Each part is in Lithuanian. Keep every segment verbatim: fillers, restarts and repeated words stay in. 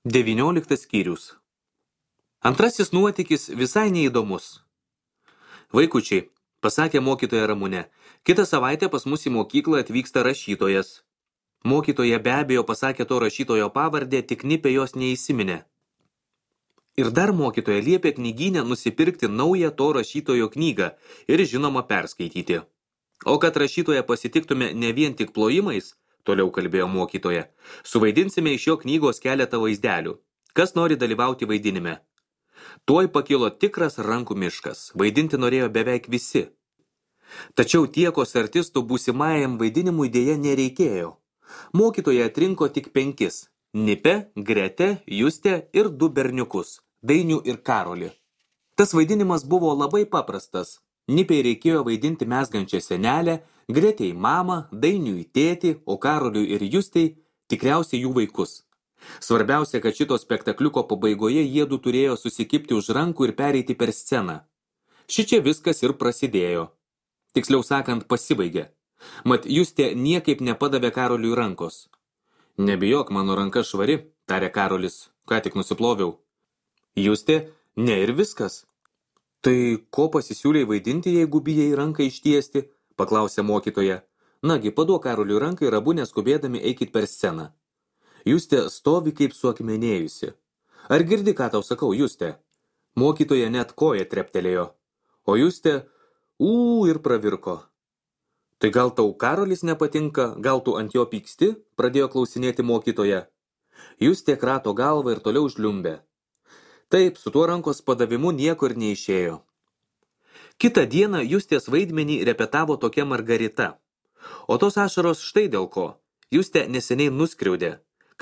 Devynioliktas skyrius. Antrasis nuotykis visai neįdomus. Vaikučiai, pasakė mokytoja Ramunė, kitą savaitę pas mus į mokyklą atvyksta rašytojas. Mokytoja be abejo pasakė to rašytojo pavardę, tik nipė jos neįsiminė. Ir dar mokytoja liepė knygyne nusipirkti naują to rašytojo knygą ir žinoma perskaityti. O kad rašytoją pasitiktume ne vien tik plojimais, toliau kalbėjo mokytoja, suvaidinsime iš jo knygos keletą vaizdelių. Kas nori dalyvauti vaidinime? Tuoj pakilo tikras rankų miškas, vaidinti norėjo beveik visi. Tačiau tiekos artistų būsimajam vaidinimui dėja nereikėjo. Mokytoja atrinko tik penkis – Nipę, Gretę, Justę ir du berniukus – Dainių ir Karolį. Tas vaidinimas buvo labai paprastas. Nipei reikėjo vaidinti mezgančią senelę, Gretei mamą, Dainiui tėtį, o Karoliui ir Justei tikriausiai jų vaikus. Svarbiausia, kad šito spektakliuko pabaigoje jiedu turėjo susikipti už rankų ir pereiti per sceną. Šičia viskas ir prasidėjo. Tiksliau sakant, pasibaigė. Mat Justė niekaip nepadavė Karoliui rankos. Nebijok, mano ranka švari, tarė Karolis, ką tik nusiploviau. Justė, ne ir viskas. Tai ko pasisiūlei vaidinti, jeigu bijai ranką ištiesti? Paklausė mokytoja. Nagi, paduok Karoliui ranką ir abu neskubėdami eikit per sceną. Justė stovi kaip suakmenėjusi. Ar girdi, ką tau sakau, Justė? Mokytoja net koja treptelėjo. O Justė, ū ir pravirko. Tai gal tau Karolis nepatinka, gal tu ant jo pyksti? Pradėjo klausinėti mokytoja. Justė krato galvą ir toliau žliumbė. Taip, su tuo rankos padavimu nieko ir neišėjo. Kitą dieną Justės vaidmenį repetavo tokia Margarita. O tos ašaros štai dėl ko. Justė neseniai nuskriaudė.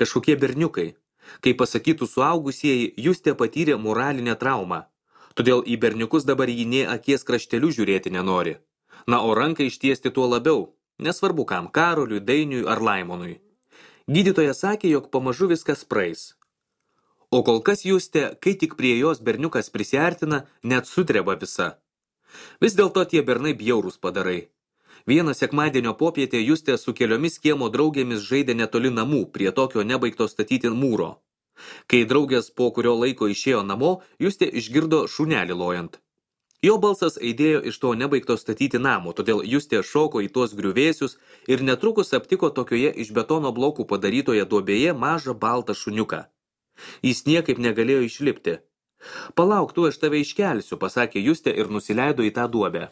Kažkokie berniukai. Kai pasakytų suaugusieji, Justė patyrė moralinę traumą. Todėl į berniukus dabar jį nė akies krašteliu žiūrėti nenori. Na, o ranką ištiesti tuo labiau. Nesvarbu kam, Karoliui, Dainiui ar Laimonui. Gydytoja sakė, jog pamažu viskas praeis. O kol kas Justė, kai tik prie jos berniukas prisiartina, net sutreba visa. Vis dėlto tie bernai bjaurūs padarai. Vieną sekmadienio popietę Justė su keliomis kiemo draugėmis žaidė netoli namų, prie tokio nebaigto statyti mūro. Kai draugės po kurio laiko išėjo namo, Justė išgirdo šunelį lojant. Jo balsas aidėjo iš to nebaigto statyti namo, todėl Justė šoko į tuos griuvėsius ir netrukus aptiko tokioje iš betono blokų padarytoje duobėje mažą baltą šuniuką. Jis niekaip negalėjo išlipti. Palauk, tu aš tave iškelsiu, pasakė Justė ir nusileido į tą duobę.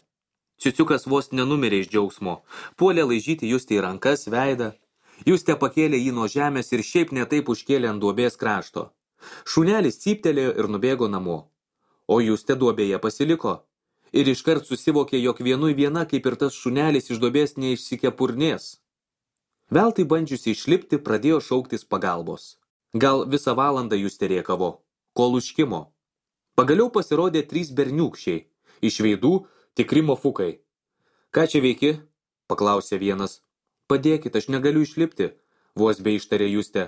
Ciuciukas vos nenumirė iš džiaugsmo. Puolė laižyti Justė į rankas, veidą. Justė pakėlė jį nuo žemės ir šiaip netaip užkėlė ant duobės krašto. Šunelis cyptelėjo ir nubėgo namo. O Justė duobėje pasiliko. Ir iškart susivokė, jog vienui viena, kaip ir tas šunelis iš duobės neišsikepurnės. Veltui bandžiusi išlipti, pradėjo šauktis pagalbos. Gal visą valandą Justė rėkavo, kol užkimo. Pagaliau pasirodė trys berniūkščiai. Iš veidų tikri mofukai. Ką čia veiki? Paklausė vienas. Padėkit, aš negaliu išlipti, vos be ištarė Justė.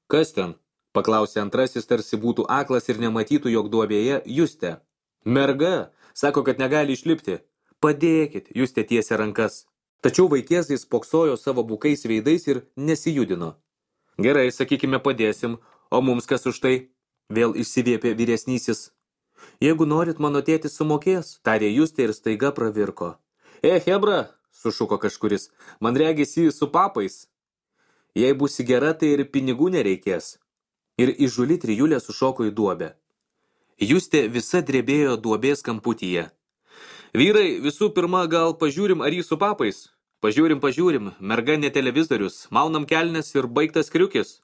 Kas ten? Paklausė antrasis, tarsi būtų aklas ir nematytų, jog duobėje Justė. Merga, sako, kad negali išlipti. Padėkit, Justė tiesė rankas. Tačiau vaikėzai spoksojo savo bukais veidais ir nesijudino. Gerai, sakykime, padėsim, o mums kas už tai? Vėl išsiviepė vyresnysis. Jeigu norit, mano tėtis sumokės, tarė Justė ir staiga pravirko. E, hebra, sušuko kažkuris, man regisi su papais. Jei būsi gera, tai ir pinigų nereikės. Ir įžuli trijulė sušoko į duobę. Justė visa drebėjo duobės kamputyje. Vyrai, visų pirma, gal pažiūrim, ar jį su papais? Pažiūrim, pažiūrim, merga ne televizorius, maunam kelnes ir baigtas kriukis.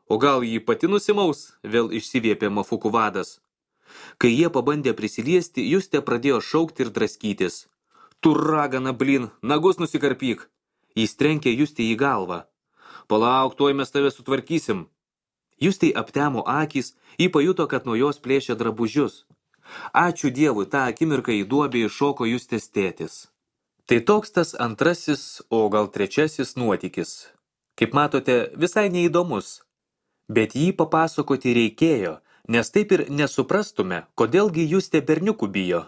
O gal jį pati nusimaus, vėl išsiviepė mafukų vadas. Kai jie pabandė prisiliesti, Justė pradėjo šaukti ir draskytis. Tu ragana, blin, nagus nusikarpyk. Jis trenkė Justė į galvą. Palauk, tuoj mes tave sutvarkysim. Justei aptemo akys, ji pajuto, kad nuo jos plėšė drabužius. Ačiū Dievui, tą akimirką į duobę iššoko Justės tėtis. Tai toks tas antrasis, o gal trečiasis nuotykis. Kaip matote, visai neįdomus. Bet jį papasakoti reikėjo, nes taip ir nesuprastume, kodėlgi Justė berniukų bijo.